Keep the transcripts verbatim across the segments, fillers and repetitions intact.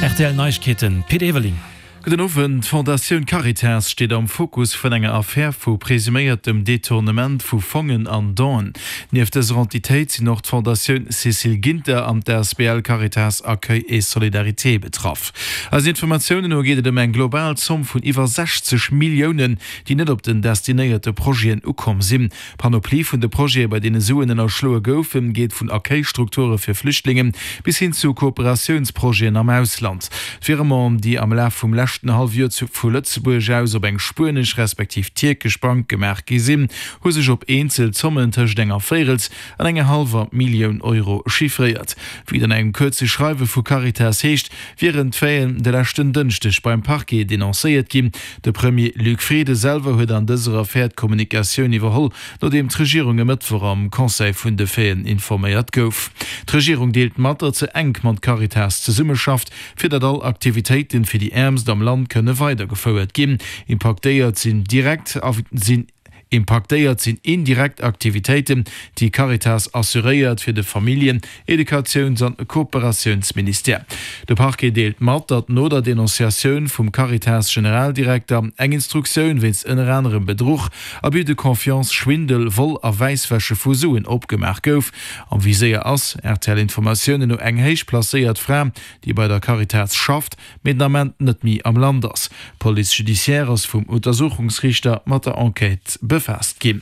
Rtl Neiegkeeten, Pit Everling. Gudden Owend. D'Fondatioun Caritas steet am Fokus vun enger Affär vu presuméiertem Detournement vu Fongen an Donen. Nieft dëser Entitéit sinn och d'Fondatioun Cécile Ginter an d'A S B L Caritas Accueil et Solidarité betraff. Eisen Informatiounen no geet et ëm eng global Zomm vun iwwer sechzeg Milliounen, déi net op den destinéierte Projeten ukomm sinn. D'Panoplie vun de Projete, bei deene Suen ënnerschloe goufen, geet vun Accueil-Strukture fir Flüchtlingen bis hin zu Kooperatiounsprojeten am Ausland. D'Virementen, déi am Laf vum leschten Hallefjoer vu Lëtzebuerg aus op eng spuenesch respektiv tierkesch Bank gemaach gi sinn, hu sech op eenzel Zommen tëscht enger Véirels an enger hallwer Millioun Euro chiffréiert. Wéi et an engem kuerze Schreiwe vu Caritas heescht, wieren d'Faiten de leschten Dënschdeg beim Parquet denoncéiert ginn. De Premier Luc Frieden selwer huet an dëser Affär d'Kommunikatioun iwwerholl, nodeem d'Regierung e Mëttwoch am Conseil vun de Faiten informéiert gouf. D'Regierung deelt mat, datt se enk mat Caritas zesummeschafft, fir datt all Aktivitéiten fir déi Äermst am Land kënne weidergefouert ginn. Impaktéiert sinn direkt sinn impaktéiert sinn indirekt Aktivitéiten, déi Caritas assuréiert fir de Familljen-, Educatiouns an Kooperatiounsministère. De Parquet deelt mat, datt no der Denonciatioun vum Caritas-Generaldirekter eng Instruktioun wéinst ënner anerem Bedruch, Abus de confiance, Schwindel, Vol a Wäisswäsche vu Suen opgemaach gouf. Am Viséier ass, R T L-Informatiounen no, eng héich placéiert Fra, déi bei der Caritas schafft, mee den Ament net méi am Land ass. D'Police judiciaire ass vum Untersuchungsriichter mat der Enquête befaasst ginn.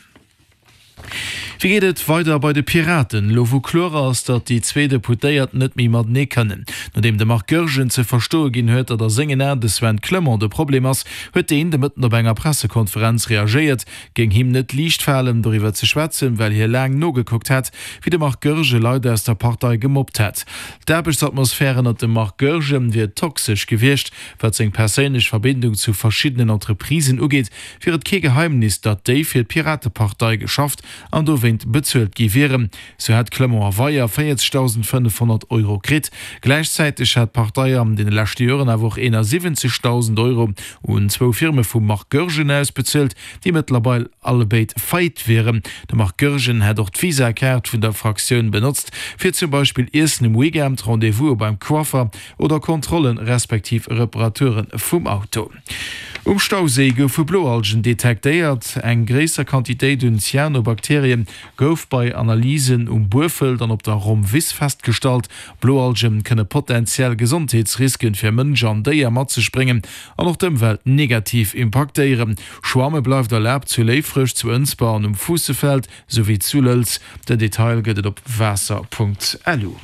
Wéi geet et weider bei de Piraten, elo wou kloer ass, datt déi zwee Deputéiert net méi matenee kënnen? Nodeem de Marc Goergen ze verstoe ginn huet, datt a sengen Aen de Sven Clement de Problem ass, huet deen de Mëtten op enger Pressekonferenz reagéiert. Géing him net liicht falen, doriwwer ze schwätzen, well hie laang nogekuckt hätt, wéi de Marc Goergen Leit aus der Partei gemobbt hätt. D'Aarbechtsatmosphär ënnert dem Marc Goergen wier toxesch gewiescht. Wat seng perséinlech Verbindung zu verschiddenen Entreprisen ugeet, wier et kee Geheimnis, datt déi fir d'Piratepartei geschafft an dowéint bezuelt gi wieren. Sou hätt Clement a Weyer véierzegdausendfënnefhonnert Euro kritt. Gläichzäiteg hätt d'Partei an deene leschte Joren awer och eenasiwwenzegdausend Euro un zwou Firme vum Marc Goergen ausbezuelt, déi mëttlerweil allebéid faillite wieren. De Marc Goergen hätt och d'Visa-Kaart vun der Fraktioun benotzt, fir zum Beispill Iessen um Weekend, Rendez-vouse beim Coiffer oder Kontrollen respektiv Reparature vum Auto. Um Stauséi goufe Bloalgen detektéiert. Eng gréisser Quantitéit un Cyanobakterien gouf bei Analysen um Buerfelt an op der Rommwiss festgestallt. Bloalgen kënne potenziell Gesondheetsrisken fir Mënsch an Déier mat sech bréngen an och d'Ëmwelt negativ impaktéieren. Schwamme bleift erlaabt zu Léifreg, zu Ënsber an um Fuussefeld souwéi zu Lëlz. Den Detail gëtt et op waasser Punkt lu.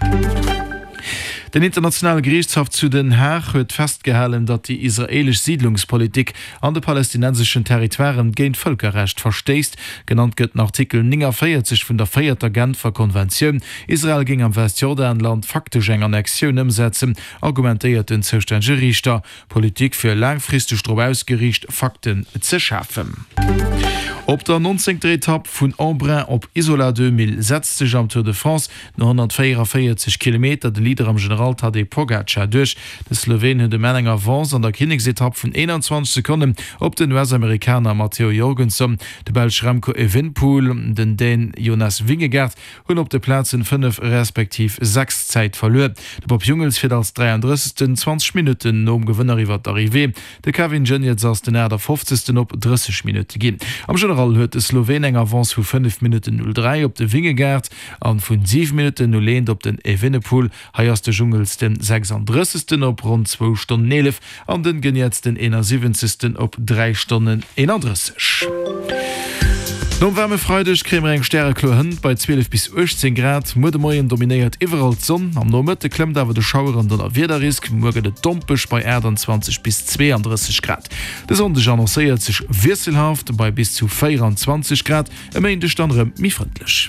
Den Internationale Geriichtshaff zu Den Haag huet festgehalen, datt déi israeelesch Siidlungspolitik an de palästinenseschen Territoiren géint d'Vëlkerrecht verstéisst. Genannt gëtt den Artikel néngavéierzeg vun der véierter Genfer Konventioun. Israel géing am Westjordanland faktesch eng Annexioun ëmsetzen, argumentéiert den zoustännege Riichter. D'Politik wier laangfristeg drop ausgeriicht, Fakten ze schafen. Op der nonzéngter Etapp vun Embrun op Isola Deux Mille setzt sech am Tour de France no honnertvéieranvéierzeg Kilometer de Leader am General Tadej Pogacar duerch. De Sloween huet um Enn eng Avance an der Kinneksetapp vun eenanzwanzeg Sekonnen op den U S-Amerikaner Matteo Jorgenson. De Belsch Remco Evenepoel, den Dän Jonas Vingegaard hunn op de Plazen fënnef respektiv sechs Zäit verluer. De Bob Jungels fiert als dräiandrëssegsten zwanzeg Minutten nom Gewënner iwwer d'Arrivée. De Kevin Geniets ass den aachtafofzegsten op drësseg Minutte ginn. Am General huet de Sloween eng Avance vu fënnef Minutten null dräi op de Vingegaard an vun siwe Minutten null eent op den Evenepoel. Hei ass de Jungels den sechsandrëssegsten op ronn zwou Stonnen eelef an den Geniets den eenasiwwenzegsten op dräi Stonnen eenandrësseg. Nom waarme Freideg kréie mer eng stärekloer Hënt bei zwielef bis uechtzéng Grad. Muer de Moien dominéiert iwwerall d'Sonn, am Nomëtte klëmmt awer de Schauer an Donnerwiederrisk. Muer gëtt et dompeg bei aachtanzwanzeg bis zweeandrësseg Grad. De Sonndeg annoncéiert sech wiesselhaft bei bis zu véieranzwanzeg Grad, e Méindeg dann erëm méi frëndlech.